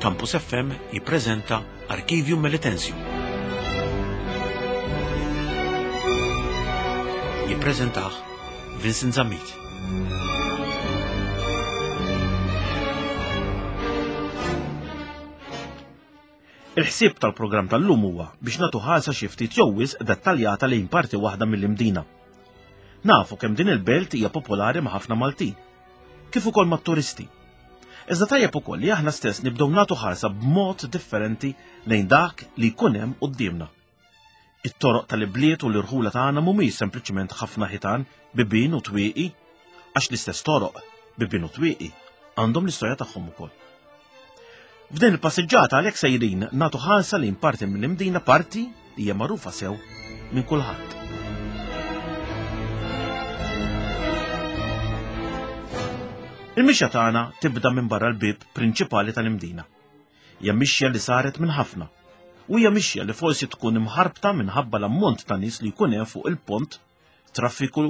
Campus FM jippreżenta Archivium Melitensium. Jippreżentah Vincent Zammit. Il-ħsieb tal-programm tal-lum huwa biex nagħtu ħarsa xi ftit jew wisq dettaljata lejn parti waħda mill-Imdina. Nafu kemm din il-belt hija popolari ma' ħafna Maltin, kif ukoll mat-turisti. Iżda tajjeb ukoll li aħna stess nibdew nagħtu ħarsa b'mod differenti lejn dak li jkun hemm quddiemna. It-toroq tal-ibliet u l-irħula tagħna mhumiex sempliċement ħafna ħitan, bibien u twieqi, għax l-istess toroq, bibien u twieqi, għandhom l-istorja tagħhom ukoll. F'din il-passiġġata għalhekk sejrin nagħtu ħarsa lejn parti mill-Imdina parti li hija magħrufa sew minn kulħadd. Il-mixja tagħna tibda minn barra l-bib prinċipali tal-Imdina. Hija mixja li saret minn ħafna u hija mixja li forsi tkun imħarbta minħabba l-ammont ta' nies li jkun hemm fuq il-pont, traffiku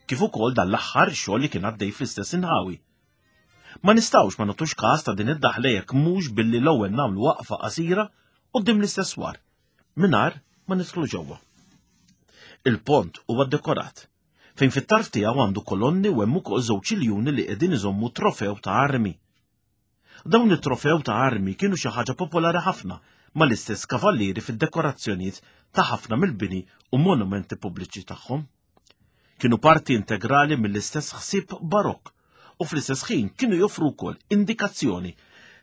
kif ukoll dan l-aħħar xogħol li kien għaddej fl-istess inħawi. Ma nistgħux ma nagħtux każ ta' din id-daħla jekk mhux billi l-ewwel nagħmlu waqfa qasira quddiem l-istess swar, mingħajr ma nidħlu ġewwa. Il-pont huwa ddekorat, fejn fit-tarf tiegħu għandu kolonni u hemm ukoll żewġ iljuni li qegħdin iżommu trofew ta' armi. Dawn it-trofew ta' armi kienu xi ħaġa popolari ħafna mal-istess kavallieri fid-dekorazzjonijiet ta' ħafna mill-bini u monumenti pubbliċi tagħhom. Kienu parti integrali mill-istess ħsieb barokk u fl-istess ħin kienu joffru wkoll indikazzjoni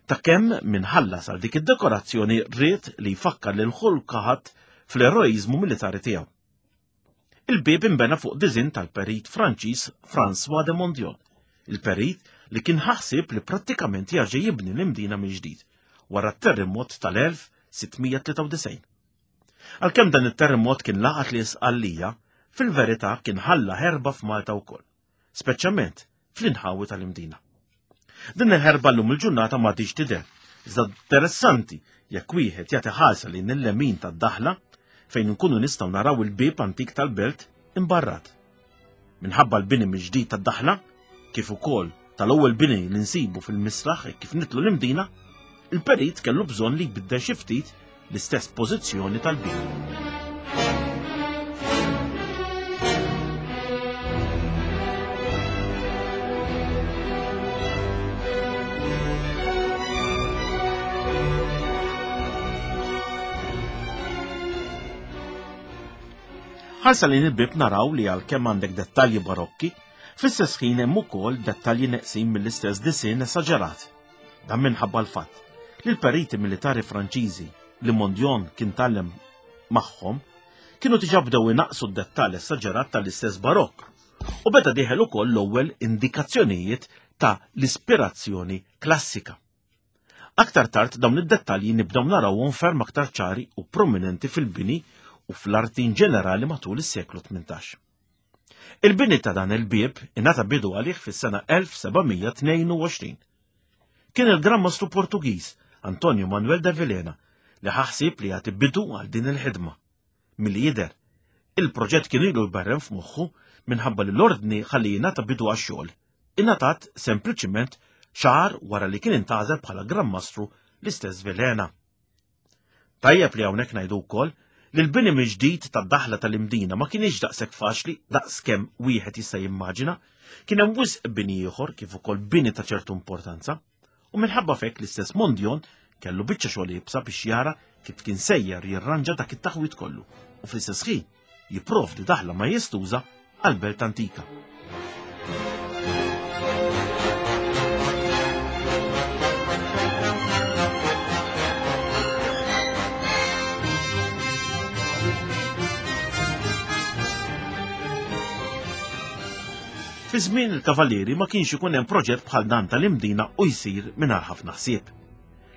ta' kemm min ħallas għal dik id-dekorazzjoni ried li jfakkar lil ħadd fl-eroiżmu militari tiegħu. Il-bieb inbena fuq diżinn tal-perit Franċiż François de Mondion, il-perit li kien ħaħsib li prattikament jarġa' jibni l-Imdina mill-ġdid wara t-terremot tal-1693. Għalkemm dan it-terremot kien laqat li Sqallija, fil-verità kien ħalla ħerba f'Malta wkoll. speċjalment fl-inħawi tal-Imdina. Din il-ħerba llum il-ġurnata ma tiġ tidher, iżda interessanti jekk wieħed jagħti ħarsa lejn il-lemin tad-daħla fejn nkunu nistgħu naraw il-bieb antik tal-belt imbarrat. Minħabba l-bini mill-ġdid tad-daħla, kif ukoll tal-ewwel bini li nsibu fil-misraħ kif nitlu l-Imdina, il-perit kellu bżonn li jbiddel xi ftit l-istess pożizzjoni tal-bieb. Ħarsa lejn il-bib naraw li għalkemm għandek dettalji barokki, fl-istess ħin hemm ukoll dettalji neqsin mill-istess disinn esaġerat. Dan minħabba l-fatt li l-periti militari Franċiżi li Mondion kien tgħallem magħhom kienu diġà bdew inaqqsu d-dettall esaġerat tal-istess barokk u beda dieħel ukoll l-ewwel indikazzjonijiet ta' l-ispirazzjoni klassika. Aktar tard dawn id-dettalji nibdew narawhom ferm aktar ċari u prominenti fil-bini u fl-arti in ġenerali matul is-seklu 18. Il-bini ta' dan il-bieb ingħata bidu għalih fis-sena 1722. Kien il-Gran Mastru Portugiż Antonio Manuel de Vilhena li ħa ħsieb li jagħti bidu għal din il-ħidma. Milli jidher, il-proġett kien ilu jberren f'moħħu minħabba li l-ordni ħalli jingħata bidu għax-xogħol ingħatat sempliċiment xahar wara li kien intgħażel bħala Gran Mastru l-istess Vilhena. Tajjeb li hawnhekk ngħidu wkoll li l-bini mill-ġdid tad-daħla tal-Imdina ma kienx daqshekk faċli daqs kemm wieħed jista' jimmaġina. Kien hemm wisq bini ieħor kif ukoll bini ta' ċertu importanza. U minħabba f'hekk l-istess Mondion kellu biċċa xogħol iebsa biex jara kif kien sejjer jirranġa dak it-taħwid kollu u fl-istess ħin jipprovdi daħla majestuża għall-belt antika. Fi żmien il-Kavallieri ma kienx ikun hemm proġett bħal dan tal-Imdina u jsir mingħajr ħafna ħsieb.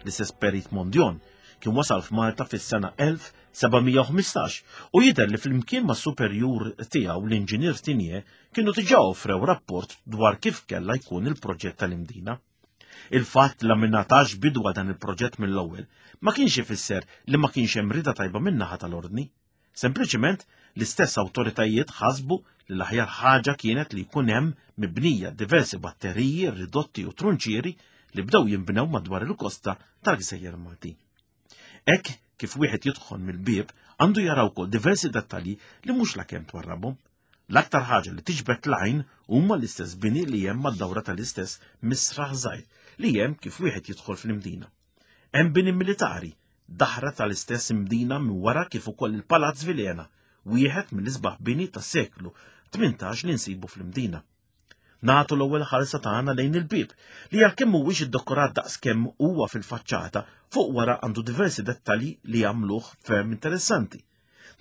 L-istess Perit Mondion kien wasal f'Malta fis-sena 1715 u jidher li flimkien mas-superjur tiegħu l-Inġinier Tigné kienu diġà offrew rapport dwar kif kellha jkun il-proġett tal-Imdina. Il-fatt li ma ngħatax bidu għal dan il-proġett mill-ewwel ma kienx ifisser li ma kienx hemm rieda tajba min-naħa tal-Ordni. Sempliċiment l-istess awtoritajiet ħasbu li l-aħjar ħaġa kienet li jkun hemm mibnija diversi batteriji, ridotti u trunċieri li bdew jinbnew madwar il-kosta tal-Gżejjer Maltin. Hekk kif wieħed jidħol mill-bieb għandu jara wkoll diversi dettalji li mhux lakemm twarrabhom. L-aktar ħaġa li tiġbed l-għajn huma l-istess bini li hemm mad-dawra tal-istess misraħ żgħir li hemm kif wieħed jidħol fl-Imdina. Hemm bini militari, dahra tal-istess Imdina minn wara kif ukoll il-Palazz Vilhena, wieħed mill-isbaħ bini tas-seklu 18 li nsibu fl-Imdina. Nagħtu l-ewwel ħarsa tagħna lejn il-bieb li għalkemm mhuwiex iddekorat daqskemm huwa fil-faċċata, fuq wara għandu diversi dettalji li jagħmluh ferm interessanti.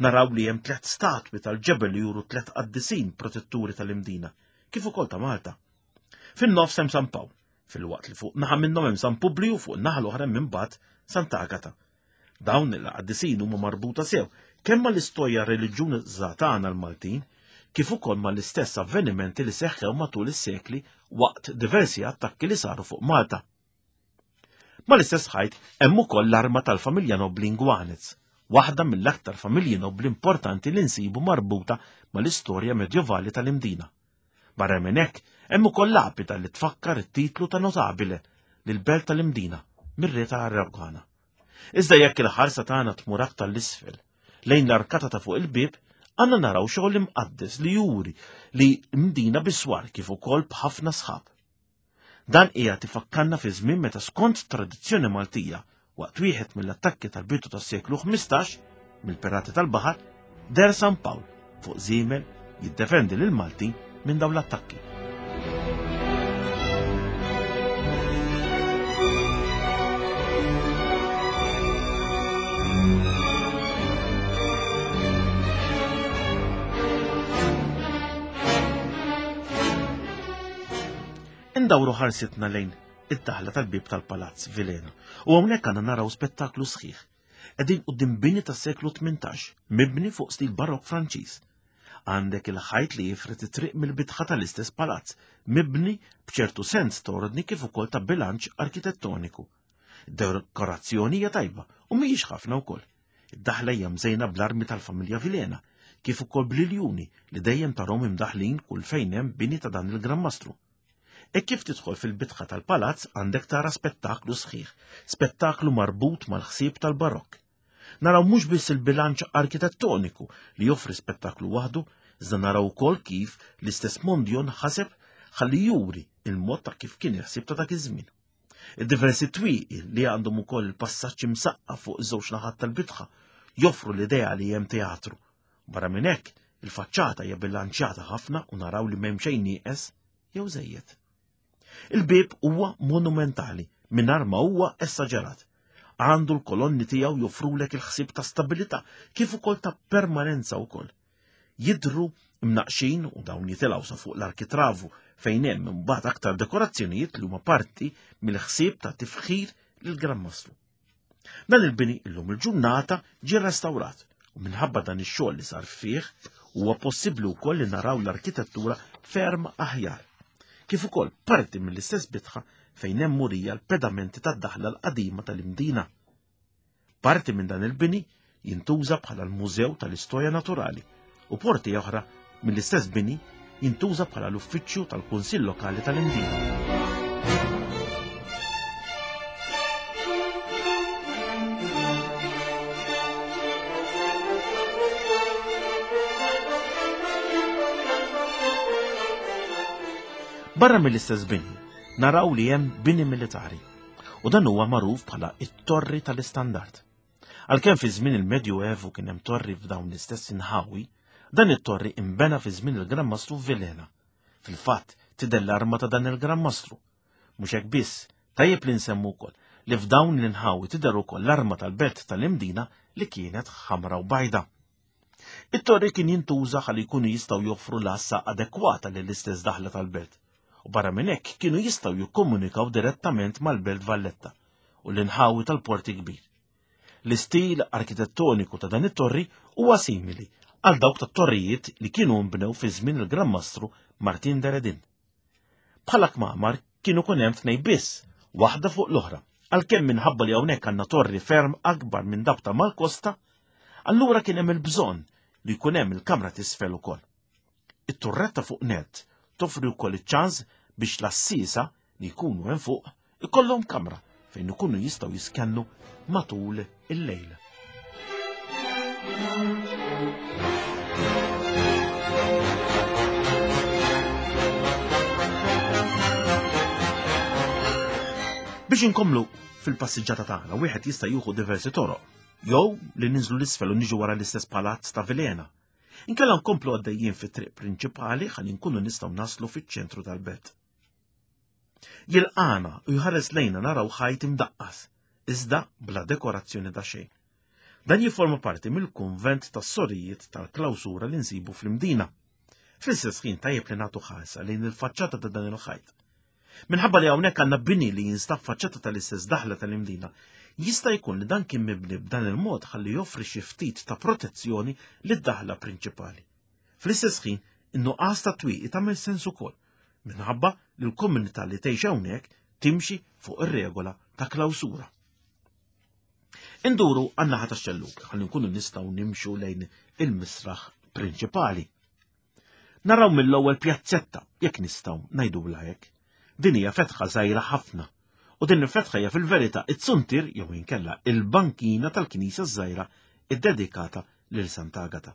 Naraw li hemm tlett statwi tal-ġebel li juru tlett qaddisin protetturi tal-Imdina, kif ukoll ta' Malta. Fin-nofs hemm San Pawl, filwaqt li fuq naħa minnhom hemm San Publiju u fuq naħa l-oħra hemm imbagħad Sant'Agata. Dawn il-qaddisin huma marbuta sew kemm mal-istorja reliġjuża tagħna l-Maltin, kif ukoll mal-istess avvenimenti li seħħew matul is-sekli waqt diversi attakki li saru fuq Malta. Mal-istess ħajt hemm ukoll l-arma tal-familja nobbli Ingwanez, waħda mill-aktar familji nobbli importanti li nsibu marbuta mal-istorja medjovali tal-Imdina. Barra minn hekk, hemm ukoll lapida li tfakkar it-titlu ta' notabile lill-belt tal-Imdina mir-re ta' Aragona. Iżda jekk il-ħarsa tagħna tmur aktar l-isfel, lejn l-arkata ta' fuq il-bieb, għandna naraw xogħol imqaddes li juri li mdina biswar kif ukoll b'ħafna sħab. Dan qiegħed ifakkarna fi żmien meta skont tradizzjoni Maltija, waqt wieħed mill-attakki tal-bidu tas-seklu 15 mill-pirati tal-baħar, deher San Pawl fuq żiemel jiddefendi lil Maltin minn dawn l-attakki. Indawru ħarsitna lejn id-daħla tal-bieb tal-Palazz Vilhena u hawnhekk għandna naraw spettaklu sħiħ. Qegħdin quddiem bini tas-seklu 18, mibni fuq stil barokk Franċiż. Għandek il-ħajt li jifred it-triq mill-bitħa tal-istess palazz, mibni b'ċertu sens ta' ordni kif ukoll ta' bilanċ arkitettoniku. Dekorazzjoni hija tajba u mhijiex ħafna wkoll. Id-daħla hija mżejna bl-armi tal-familja Vilhena, kif ukoll bl-iljuni li dejjem tarhom imdaħħlin kull fejn hemm bini ta' dan il-Gran Mastru. Hekk kif tidħol fil-bitħa tal-palazz għandek tara spettaklu sħiħ, spettaklu marbut mal-ħsieb tal-Barokk. Naraw mhux biss il-bilanċ arkitettoniku li joffri spettaklu waħdu, iżda naraw ukoll kif l-istess Mondion ħaseb ħalli juri il-mod ta' kif kien il-ħsieb ta' dak iż-żmien. Id-diversi twieqi li għandhom ukoll il-passaġġ imsaqqa fuq iż-żewġ naħat tal-bitħa joffru l-idea li hemm teatru. Barra minn hekk, il-faċċata hija bilanċjata ħafna u naraw li m'hemm xejn nieqes jew żejjed. Il-bieb huwa monumentali mingħajr ma huwa essaġerat. Għandu l-kolonni tiegħu joffrulek il-ħsieb ta' stabilità kif ukoll ta' permanenza wkoll. Jidhru mnaqqxin u dawn jitilgħu sa fuq l-arkitravu fejn hemm imbagħad aktar dekorazzjonijiet li huma parti mill-ħsieb ta' tifħir lill-Gran Mastru. Dan il-bini illum il-ġurnata ġie restawrat u minħabba dan ix-xogħol li sar fih huwa possibbli wkoll li naraw l-arkitettura ferm aħjar. Kif ukoll parti mill-istess bitħa fejn hemm murija l-pedamenti tad-daħla l-qadima tal-Imdina. Parti minn dan il-bini jintuża bħala l-Mużew tal-Istorja Naturali u porti oħra mill-istess bini jintuża bħala l-uffiċċju tal-Kunsill Lokali tal-Imdina. Barra mill-istess bini, naraw li hemm bini militari u dan huwa magħruf bħala it-Torri tal-Istandard. Għalkemm fi żmien il-Medjuevu kien hemm torri f'dawn l-istess inħawi, dan it-torri inbena fi żmien il-Gran Mastru Vilhena. Fil-fatt, tidher l-arma ta' dan il-Gran Mastru. Mhux hekk biss, tajjeb li nsemmu wkoll li f'dawn l-inħawi tidher ukoll l-arma tal-belt tal-Imdina li kienet ħamra u bajda. It-torri kien jintuża ħalli jkunu jistgħu joffru l-għassa adekwata lill-istess daħla tal-belt u barra minn hekk kienu jistgħu jikkomunikaw direttament mal-Belt Valletta u l-inħawi tal-Port il-Kbir. L-istil arkitettoniku ta' dan it-torri huwa simili għal dawk tat-torrijiet li kienu nbnew fi żmien il-Gran Mastru Martin de Redin. Bħala kmamar kienu kun hemm tnej biss, waħda fuq l-oħra, għalkemm minħabba li hawnhekk għandna torri ferm akbar minn dawk ta' mal-kosta, allura kien hemm il-bżonn li jkun hemm il-kamra t'isfel ukoll. It-turretta fuq nett toffri wkoll iċ-ċans biex l-għassiesa li jkunu hemm fuq ikollhom kamra fejn ikunu jistgħu jiskennu matul il-lejl. Biex inkomlu fil-passiġġata tagħna wieħed jista' jieħu diversi toroq, jew li ninżlu l-isfel u niġu wara l-istess palazz ta' Vilena. Inkella nkomplu għaddejjin fit-triq prinċipali ħalli nkunu nistgħu naslu fiċ-ċentru tal-belt. Jilqana u jħares lejna naraw ħajt imdaqqas, iżda bla dekorazzjoni ta' xejn. Dan jifforma parti mill-kunvent tas-sorijiet tal-klawsura li nsibu fl-Imdina. Fl-istess ħin tajjeb li nagħtu ħarsa lejn il-faċċata ta' dan il-ħajt. Minħabba li hawnhekk għandna bini li jinstab faċċata tal-istess daħla tal-Imdina, jista' jkun li dan kien mibni b'dan il-mod ħalli joffri xi ftit ta' protezzjoni lid-daħla prinċipali. Fl-istess ħin, in-nuqqas ta' twieqi tagħmel sens ukoll, minħabba li l-komunità li tgħix hawnhekk timxi fuq ir-regola ta' klawsura. Induru għan-naħa tax-xellug ħalli nkunu nistgħu nimxu lejn il-misraħ prinċipali. Naraw mill-ewwel pjazzetta, jekk nistgħu ngħidulha hekk. Din hija fetħa żgħira ħafna. U din il-fetħa hija fil-verità it-suntier jew inkella il-bankina tal-knisja żgħira iddedikata lil Sant'Agata.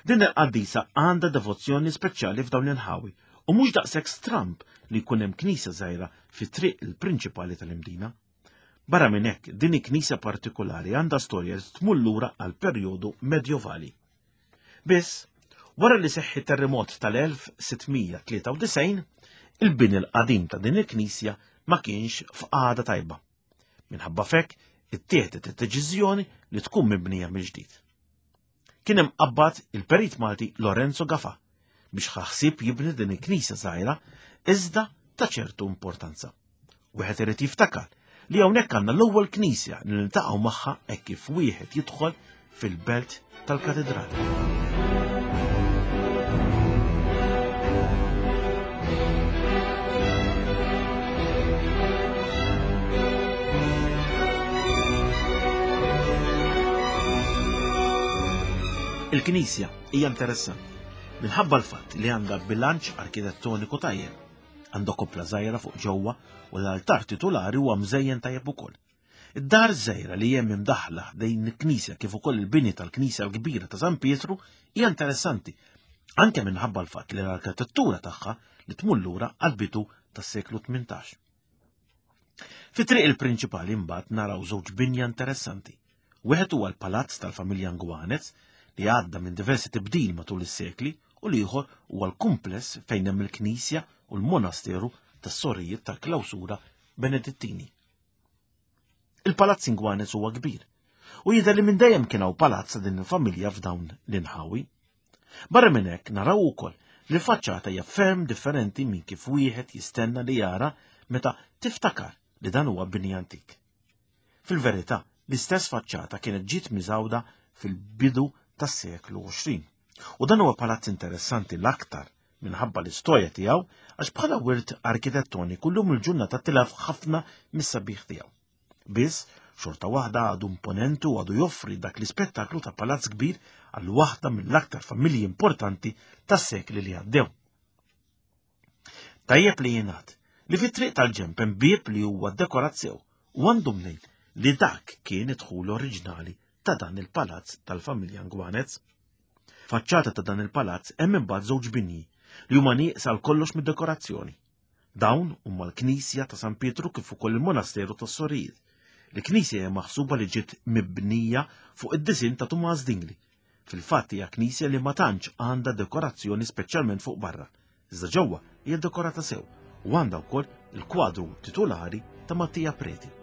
Din il-qaddisa għandha devozzjoni speċjali f'dawn l-inħawi u mhux daqshekk stramb li jkun hemm knisja żgħira fi triq il-prinċipali tal-Imdina. Barra minn hekk, din il-knisja partikolari għandha storja li tmur lura għal perjodu medjovali. Biss, wara li seħħi terremot tal-1693, il-bini l-qadim ta' din il-knisja ma kienx f'qagħda tajba. Minħabba fekk, ittieħdet id-deċiżjoni li tkun mibnija mill-ġdid. Kien hemm qabbad il-perit Malti Lorenzo Gafa biex ħaħsib jibni din il-knisja żgħira iżda ta' ċertu importanza. Wieħed irid jiftakar li hawnhekk għandna l-ewwel knisja li niltaqgħu magħha hekk kif wieħed jidħol fil-belt tal-katedral. Il-knisja hija interessanti minħabba l-fatt li għandha bilanċ arkitettoniku tajjeb. Għandha koppla żgħira fuq ġewwa u l-altar titulari huwa mżejjen tajjeb ukoll. Id-dar żgħira li hemm imdaħħla ħdejn il-knisja kif ukoll il-bini tal-knisja l-kbira ta' San Pietru hija interessanti anke minħabba l-fatt li l-arkitettura tagħha li tmur lura għall-bidu tas-seklu 18. Fi triq il-prinċipali mbagħad naraw żewġ binja interessanti. Wieħed huwa l-palazz tal-familja Ngwanez li għadda minn diversi tibdil matul is-sekli u l-ieħor huwa l-kumpless fejn hemm il-knisja u l-monasteru tas-sorijiet tal-klawsura Benedittini. Il-palazz Ingwanez huwa kbir u jidher li minn dejjem kien hawn palazz ta' din il-familja f'dawn l-inħawi. Barra minn hekk naraw ukoll li l-faċċata hija ferm differenti minn kif wieħed jistenna li jara meta tiftakar li dan huwa bini antik. Fil-verità, l-istess faċċata kienet ġiet miżgħuda fil-bidu tas-seklu 20. U dan huwa palazz interessanti l-aktar minħabba l-istorja tiegħu għax bħala wirt arkitettoniku llum il-ġurnata tilaf ħafna mis-sabiħ tiegħu. Biss, xorta waħda għadu imponenti u għadu joffri dak l-ispettaklu ta' palazz kbir għal waħda mill-aktar familji importanti tas-sekli li għaddew. Tajjeb li jingħad li fit-triq tal-ġemp hemm bieb li huwa dekorat sew u għandu mnejn li dak kien id-dħul oriġinali ta' dan il-palazz tal-familja Ngwanez. Faċċata ta' dan il-palazz hemm imbagħad żewġ binji li huma nieqsa għal kollox mid-dekorazzjoni. Dawn huma l-Knisja ta' San Pietru kif ukoll il-Monasteru tas-Sorijiet. Il-knisja hija maħsuba li ġiet mibnija fuq id-disinn ta' Tumas Dingli. Fil-fatt hija knisja li ma tantx għandha dekorazzjoni speċjalment fuq barra, iżda ġewwa hija dekorata sew u għandha wkoll il-kwadru titulari ta' Mattia Preti.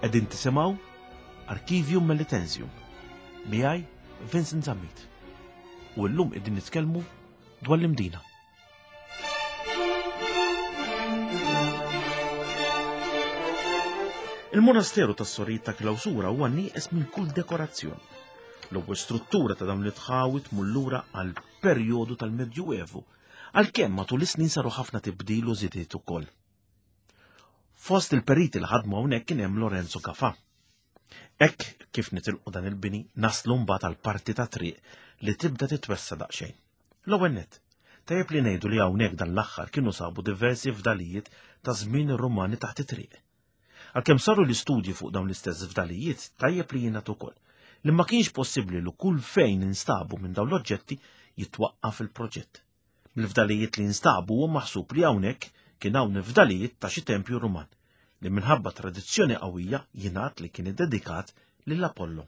Qegħdin tisimgħu Archivium Melitensium miegħi Vincent Zammit. U llum qegħdin nitkellmu dwar l-Imdina. Il-monasteru tas-Sorijiet ta' Klawsura huwa nieqes minn kull dekorazzjoni. L-ewwel struttura ta' dawn l-itħawi tmur lura għal perjodu tal-Medjuevu, għalkemm matul is-snin saru ħafna tibdil u żidiet ukoll. Fost il-periti li ħadmu hawnhekk kien hemm Lorenzo Gafà. Hekk kif nitilqu dan il-bini naslu mbagħad għal parti ta' triq li tibda titwessa daqsxejn. L-ewwel nett, tajjeb li ngħidu li hawnhekk dan l-aħħar kienu sabu diversi fdalijiet ta' żmien ir-Rumani taħt it-triq. Għalkemm saru l-istudji fuq dawn l-istess fdalijiet, tajjeb li jingħad ukoll li ma kienx possibbli li kull fejn instabu minn dawn l-oġġetti jitwaqqaf il-proġett. Mill-fdalijiet li instabu huwa maħsub li hawnhekk kien hawn il-fdalijiet ta' xi tempju Ruman li minħabba tradizzjoni qawwija jingħad li kien iddedikat lil Apollo.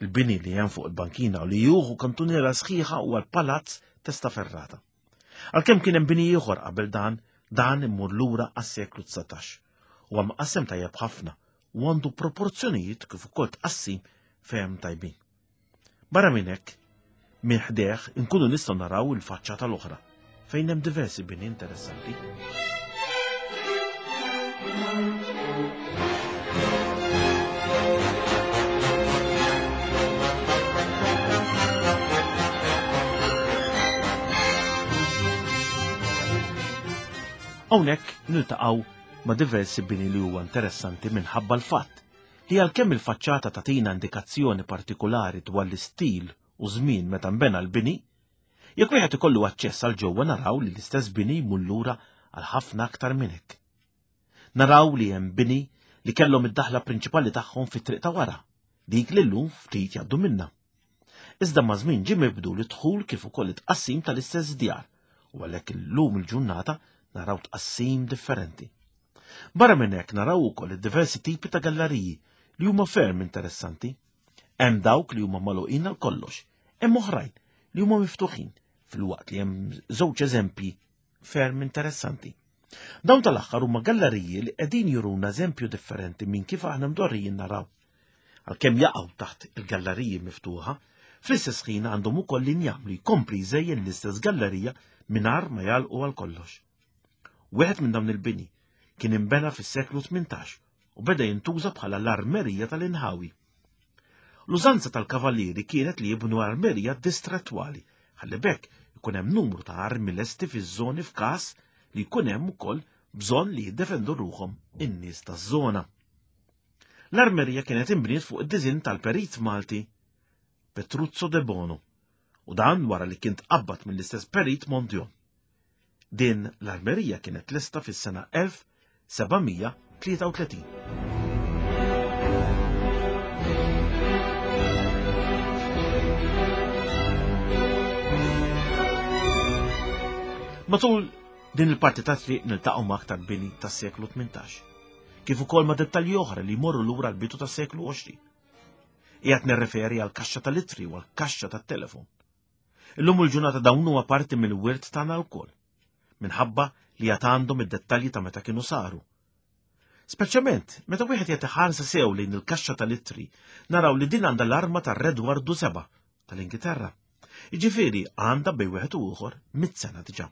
Il-bini li hemm fuq il-bankina u li juhu kantuniera sħiħa huwa l-Palazz Testaferrata. Għalkemm kien hemm bini ieħor qabel dan, dan immur lura għas-seklu 19. Huwa mqassem tajjeb ħafna u għandu proporzjonijiet kif ukoll tqassim fehem tajbin. Barra minn hekk, minn ħdejh inkunu nistgħu naraw il-faċċata l-oħra fejn hemm diversi bini interessanti. Hawnhekk niltaqgħu ma' diversi bini li huwa interessanti minħabba l-fatt li għalkemm il-faċċata tagħtina indikazzjoni partikulari dwar l-istil u żmien meta nbena l-bini, jekk wieħed ikollu aċċess għal ġewwa naraw li l-istess bini jmur lura għal ħafna aktar minn hekk. Naraw li hemm bini li kellhom id-daħla prinċipali tagħhom fit-triq ta' wara, dik li llum ftit jgħaddu minnha. Iżda ma' żmien ġie mibdul id-dħul kif ukoll it-tqassim tal-istess djar u għalhekk illum il-ġurnata naraw tqassim differenti. Barra minn hekk naraw ukoll id-diversi tipi ta' galleriji li huma ferm interessanti. Hemm dawk li huma magħluqin għal kollox, hemm oħrajn li huma miftuħin filwaqt li hemm żewġ eżempji ferm interessanti. Dawn tal-aħħar huma galleriji li qegħdin juruna eżempju differenti minn kif aħna mdorrijin naraw. Għalkemm jaqgħu taħt il-galleriji miftuħa, fl-istess ħin għandhom ukoll l-injam li jkompli jżejjen l-istess gallerija mingħajr ma jagħlqu għal kollox. Wieħed minn dawn il-bini kien inbena fis-seklu 18 u beda jintuża bħala l-armerija tal-inħawi. L-użanza tal-kavallieri kienet li jibnu armerija distrettwali ħalli bekk ikun hemm numru ta' armi lesti fiż-żoni f'każ li jkun hemm ukoll bżonn li jiddefendu ruħhom in-nies taż-żona. L-armerija kienet inbniet fuq id-diżinn tal-perit Malti Petruzzo de Bono u dan wara li kien tqabbad mill-istess perit Mondion. Din l-armerija kienet lesta fis-sena 1733. Matul din il-parti ta' triq niltaqgħu ma' aktar bini tas-seklu 18, kif ukoll ma' dettalji oħra li jmorru lura l-bidu tas-seklu 20. Qiegħed nirreferi għal kaxxa tal-ittri u għal kaxxa tat-telefon. Illum il-ġurnata dawn huwa parti mill-wirt tagħna lkoll, minħabba li għad għandhom id-dettalji ta' meta kienu saru. Speċjalment meta wieħed jagħti ħarsa sew lejn il-kaxxa tal-ittri, naraw li din għandha l-arma tar-Redwardu Seba' tal-Ingilterra. Jiġifieri għandha bejn wieħed u ieħor mit-sena diġà.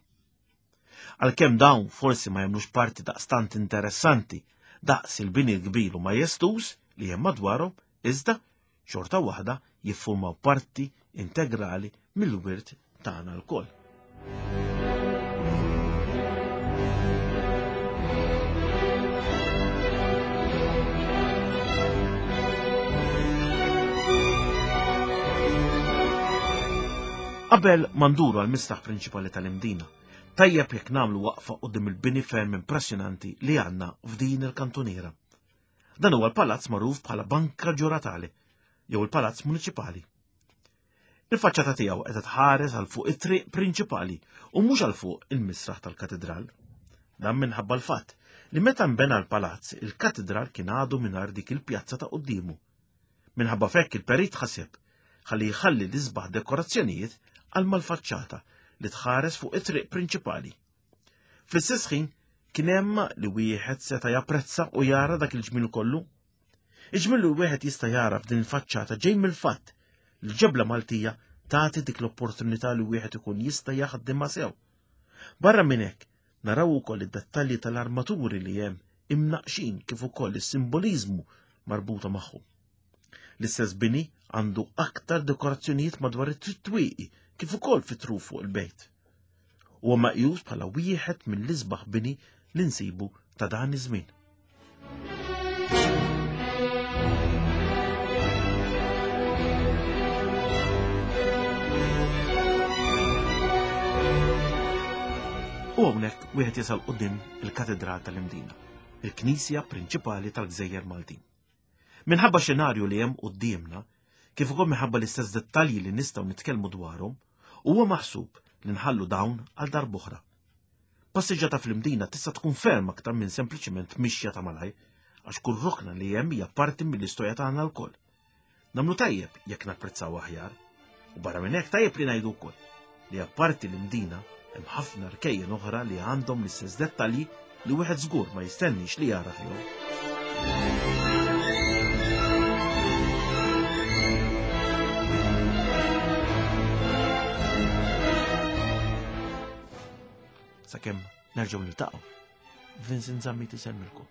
Għalkemm dawn forsi ma jagħmlux parti daqstant interessanti daqs il-bini l-kbir u majestuż li hemm madwarhom, iżda xorta waħda jiffurmaw parti integrali mill-wirt tagħna lkoll. Qabel ma nduru għal mistraħ prinċipali tal-Imdina, tajjeb jekk nagħmlu waqfa quddiem il-bini ferm impressjonanti li għandna f'din il-kantuniera. Dan huwa l-palazz magħruf bħala Banka Ġuratali jew il-Palazz Muniċipali. Il-faċċata tiegħu qiegħda tħares għal fuq it-triq prinċipali u mhux għal fuq il-misraħ tal-katedral. Dan minħabba l-fatt li meta nbena l-palazz, il-katedral kien għadu mingħajr dik il-pjazza ta' quddiemu. Minħabba fekk il-perit ħaseb ħalli jħalli l-isbaħ dekorazzjonijiet għal mal-faċċata li tħares fuq it-triq prinċipali. Fl-istess ħin kien hemm li wieħed seta' japprezza u jara dak il-ġmiel kollu. Il-ġmiel li wieħed jista' jara f'din il-faċċata ġej mill-fatt li l-ġebla Maltija tagħti dik l-opportunità li wieħed ikun jista' jaħdimha sew. Barra minn hekk, naraw ukoll id-dettalji tal-armaturi li hemm imnaqxin kif ukoll is-simboliżmu marbuta magħhom. L-istess bini għandu aktar dekorazzjonijiet madwar it-twieqi kif ukoll fit-truf fuq il-bejt. Huwa meqjus bħala wieħed mill-isbaħ bini li nsibu ta' dan iż-żmien. U hawnhekk wieħed jasal quddiem il-Katedral tal-Imdina, il-knisja prinċipali tal-Gżejjer Maltin. Minħabba xenarju li hemm quddiemna, kif ukoll minħabba l-istess dettalji li nistgħu nitkellmu dwarhom, huwa maħsub li nħallu dawn għal darb'oħra. Passiġġata fl-Imdina tista' tkun ferm aktar minn sempliċiment mixja ta' malajr, għax kull rokna li hemm hija parti mill-istorja tagħna lkoll. Nagħmlu tajjeb jekk napprezzaw aħjar. U barra minn hekk tajjeb li ngħidu wkoll li apparti l-Imdina hemm ħafna rkejjen oħra li għandhom l-istess dettalji li wieħed żgur ma jistennix li jara fihom. Sakemm nerġgħu niltaqgħu. Vincent Zammit isemmilkom.